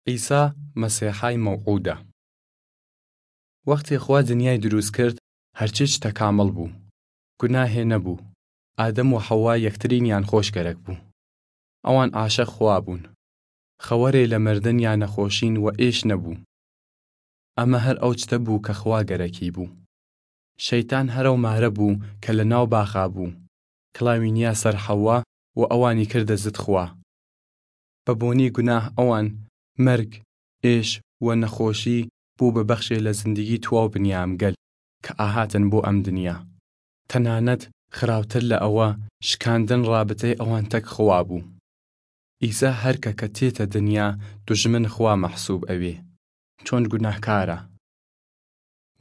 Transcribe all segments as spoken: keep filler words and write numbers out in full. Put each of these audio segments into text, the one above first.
عیسا مەسیحای مەوعودە. وەختێ خوا دنیای دروس کرد، هەرچی چتە کامڵ بوو. گوناهێ نەبوو. ئادەم و حەوا یەکترینیان خۆش گەرەک بوو. ئەوان عاشق خوا بوون. خەوەرێ لە مردن یا نەخۆشین و ئێش نەبوو. ئەمە هەر ئەو چتە بوو کە خوا گەرەکی بوو. شەیتان هەرەو مارە بوو کە لە ناو باخا بوو. کڵاوی نیا سەر حەوا و ئەوانی کردە زد خوا. بە بۆنی گوناه ئەوان مەرگ، ئێش و نەخۆشی بوو بە بەخشێ لە زندگی تواو بنیام گەل کە ئاهاتن بۆ ئەم دنیا. تەنانەت خراوتر لە ئەوە، شکاندن ڕابتەی ئەوان تەک خوا بوو. ئیسا هەرکە کە تێتە دنیا دوژمن خوا مەحسوب ئەوێ، چۆن گوناهکارە.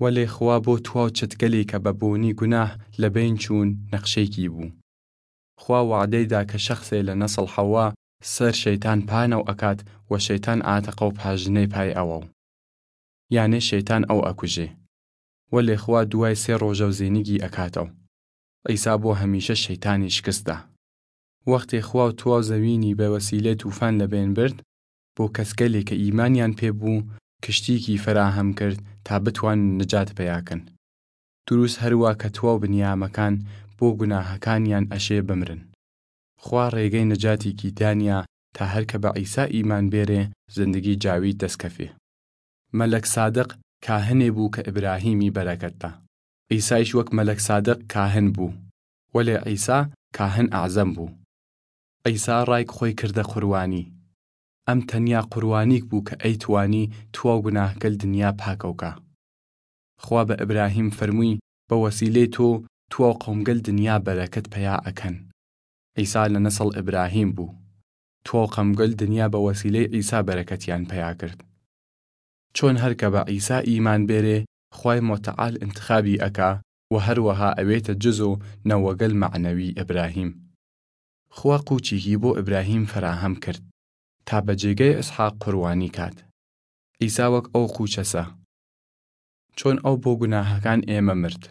وەلێ خوا بۆ تواو چتگەلی کە بە بۆنی گوناه لە بەین چوون نەخشەیکی بوو. خوا وەعدەی دا کە شەخسێ لە نەسڵ حەوا سەر شەیتان پانەو ئەکات و شەیتان ئاتەقەو پاژنەی پای ئەوەو. یانێ شەیتان ئەو ئەکوژێ. وەلێ خوا دوای سێ ڕۆژەو زینگی ئەکاتەو. عیسا بۆ هەمیشە شەیتانی شکستدا. وەختێ خوا و تواو زەوینی بە وەسیلەی تووفان لە بەین برد، بۆ کەسگەلێ کە ئیمانیان پێ بوو، کشتیکی فەراهەم کرد تا بتوانن نجات پەیا کەن. دروس هەروا کە تواو بنیامەکان بۆ گوناهەکانیان ئەشێ بمرن. خوا ڕێگەی نجاتیکی دانیا تا هەر کە بە عیسا ئیمان بێرێ زندگی جاوید دەسکەفێ. مەلەک سادق کاهنێ بوو کە ئیبراهیمی بەرەکەتدا. عیسایش وەک مەلەک سادق کاهن بوو، وەلێ عیسا کاهن ئەعزەم بوو. عیسا ڕایک خۆی کردە قوروانی. ئەم تەنیا قوروانیک بوو کە ئەیتوانی تواو گوناهگەل دنیا پاکەو کا. خوا بە ئیبراهیم فەرموی، بە وەسیلەی تۆ تواو قەومگەل دنیا بەرەکەت پەیا ئەکەن. عیسا لە نەسڵ ئیبراهیم بوو. تواو قەومگەل دنیا بە وەسیلەی عیسا بەرەکەتیان پەیا کرد. چۆن هەر کە بە عیسا ئیمان بێرێ خوای متعال انتخابی ئەکا و هەروەها ئەوێتە جزو نەوەگەل مەعنەوی ئیبراهیم. خوا قوچیکی بۆ ئیبراهیم فەراهەم کرد تا بە جێگەی ئیسحاق قوروانی کات. عیسا وەک ئەو قوچەسە. چۆن ئەو بۆ گوناهەکان ئێمە مرد،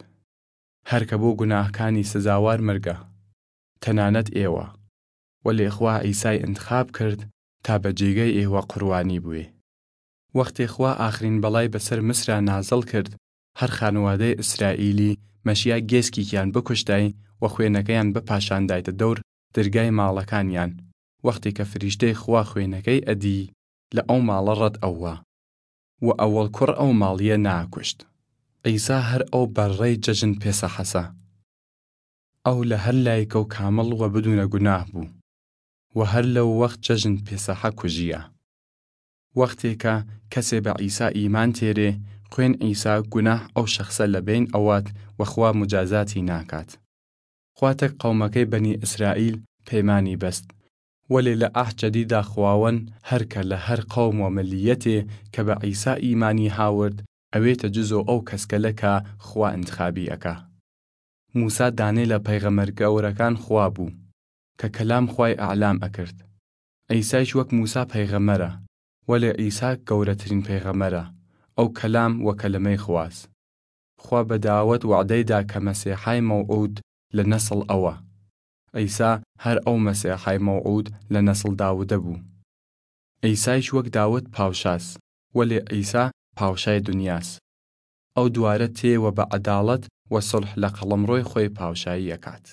هەر کە بۆ گوناهکانی سزاوار مرگە، تەنانەت ئێوە. وەلێ خوا عیسای انتخاب کرد تا بە جێگەی ئێوە قوروانی بوێ. وەختێ خوا ئاخرین بەڵای بەسەر مصرا نازڵ کرد، هەر خانوادەی ئیسرائیلی مەشیا گێسکیکیان بکوشتای و خوێنەکەیان بپاشاندایتە دەور درگای ماڵەکانیان. وەختێ کە فریشتەی خوا خوێنەکەی ئەدی، لە ئەو ماڵە ڕەت ئەوە و ئەوەڵ کوڕ ئەو ماڵیە ناکوشت. عیسا هەر ئەو بەڕەی جەژن پێسەحەسە. ئەو لە هەر لایکەو کامڵ و بدونە گوناه بوو و هەر لەو وەخت جەژن پێسەحە کوژیە. وەختێ کە کەسێ بە عیسا ئیمان تێرێ، خوێن عیسا گوناه ئەو شەخسە لە بەین ئەوات و خوا مجازاتی ناکات. خوا تەک قەومەکەی بەنی ئیسرائیل پەیمانی بەست. وەلێ لە عەهد جەدیدا خواوەن هەر کە لە هەر قەوم و ملیەتێ کە بە عیسا ئیمانی هاورد، ئەوێتە جزۆ ئەو کەسکەلە کە خوا انتخابی ئەکا. موسا دانێ لە پەیغەمەر گەورەکان خوا بوو کە کەلام خوای ئەعلام ئەکرد. عیسایش وەک موسا پەیغەمەرە، وەلێ عیسا گەورەترین پەیغەمەرە، ئەو کەلام و کەلمەی خواس. خوا بە داود وەعدەیدا کە مەسیحای مەوعود لە نەسڵ ئەوە. عیسا هەر ئەو مەسیحای مەوعود لە نەسڵ داودە بوو. عیسایش وەک داود پاوشاس، وەلێ عیسا پاوشای دنیاس. ئەو دوارە تێ و بە عەداڵەت و سوڵح لە قەڵەمڕۆی خوەی پاوشایی ئەکات.